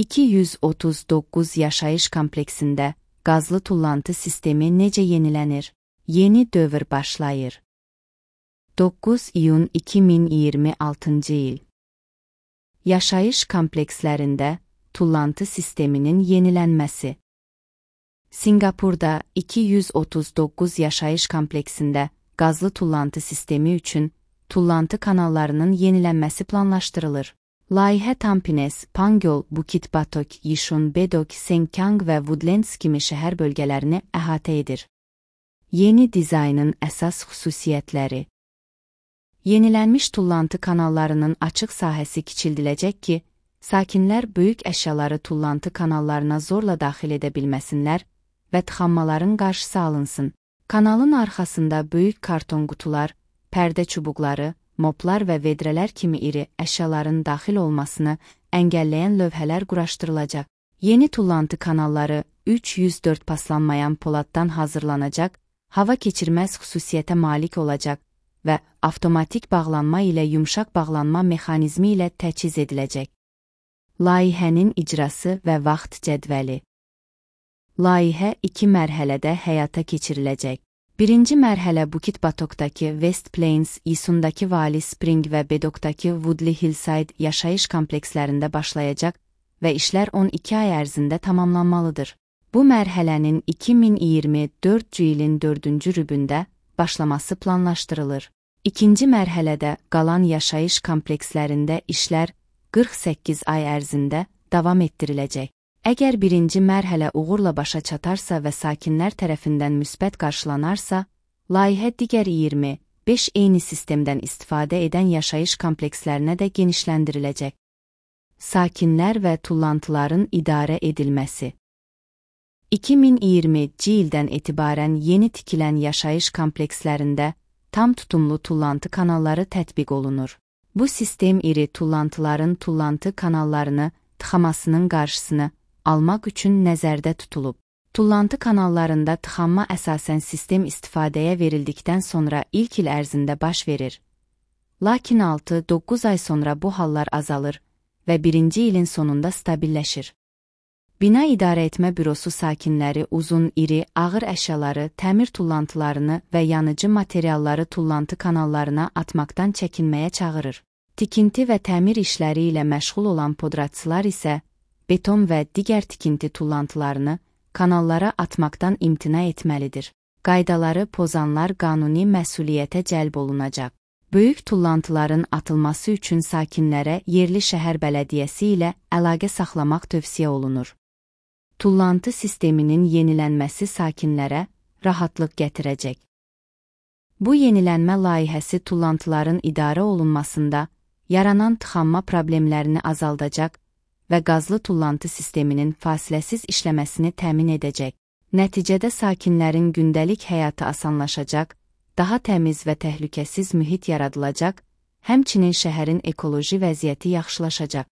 239 yaşayış kompleksində qazlı tullantı sistemi necə yenilənir? Yeni dövr başlayır. 9 iyun 2026 il. Yaşayış komplekslərində tullantı sisteminin yenilənməsi. Singapurda 239 yaşayış kompleksində qazlı tullantı sistemi üçün tullantı kanallarının yenilənməsi planlaşdırılır. Layihə Tampines, Pangyol, Bukit Batok, Yishun, Bedok, Sengkang və Woodlands kimi şəhər bölgələrini əhatə edir. Yeni dizaynın əsas xüsusiyyətləri. Yenilənmiş tullantı kanallarının açıq sahəsi kiçildiləcək ki, sakinlər böyük əşyaları tullantı kanallarına zorla daxil edə bilməsinlər və tıxanmaların qarşısı alınsın. Kanalın arxasında böyük karton qutular, pərdə çubuqları, moplar və vedrələr kimi iri əşyaların daxil olmasını əngəlləyən lövhələr quraşdırılacaq. Yeni tullantı kanalları 304 paslanmayan poladdan hazırlanacaq, hava keçirməz xüsusiyyətə malik olacaq və avtomatik bağlanma ilə yumşaq bağlanma mexanizmi ilə təchiz ediləcək. Layihənin icrası və vaxt cədvəli. Layihə 2 mərhələdə həyata keçiriləcək. Birinci mərhələ Bukit Batokdakı West Plains, Yishundakı Valley Spring və Bedokdakı Woodley Hillside yaşayış komplekslərində başlayacaq və işlər 12 ay ərzində tamamlanmalıdır. Bu mərhələnin 2024 ilin 4-cü rübündə başlaması planlaşdırılır. İkinci mərhələdə qalan yaşayış komplekslərində işlər 48 ay ərzində davam etdiriləcək. Əgər birinci mərhələ uğurla başa çatarsa və sakinlər tərəfindən müsbət qarşılanarsa, layihə digər 25 eyni sistemdən istifadə edən yaşayış komplekslərinə də genişləndiriləcək. Sakinlər və tullantıların idarə edilməsi. 2020-ci ildən etibarən yeni tikilən yaşayış komplekslərində tam tutumlu tullantı kanalları tətbiq olunur. Bu sistem iri tullantıların tullantı kanallarını tıxamasının qarşısını almaq üçün nəzərdə tutulub. Tullantı kanallarında tıxanma əsasən sistem istifadəyə verildikdən sonra ilk il ərzində baş verir. Lakin 6-9 ay sonra bu hallar azalır və birinci ilin sonunda stabilləşir. Bina İdarə Etmə Bürosu sakinləri uzun, iri, ağır əşyaları, təmir tullantılarını və yanıcı materialları tullantı kanallarına atmaqdan çəkinməyə çağırır. Tikinti və təmir işləri ilə məşğul olan podratçılar isə beton və digər tikinti tullantılarını kanallara atmaqdan imtina etməlidir. Qaydaları pozanlar qanuni məsuliyyətə cəlb olunacaq. Böyük tullantıların atılması üçün sakinlərə yerli şəhər bələdiyyəsi ilə əlaqə saxlamaq tövsiyə olunur. Tullantı sisteminin yenilənməsi sakinlərə rahatlıq gətirəcək. Bu yenilənmə layihəsi tullantıların idarə olunmasında yaranan tıxanma problemlərini azaldacaq və qazlı tullantı sisteminin fasiləsiz işləməsini təmin edəcək. Nəticədə sakinlərin gündəlik həyatı asanlaşacaq, daha təmiz və təhlükəsiz mühit yaradılacaq, həmçinin şəhərin ekoloji vəziyyəti yaxşılaşacaq.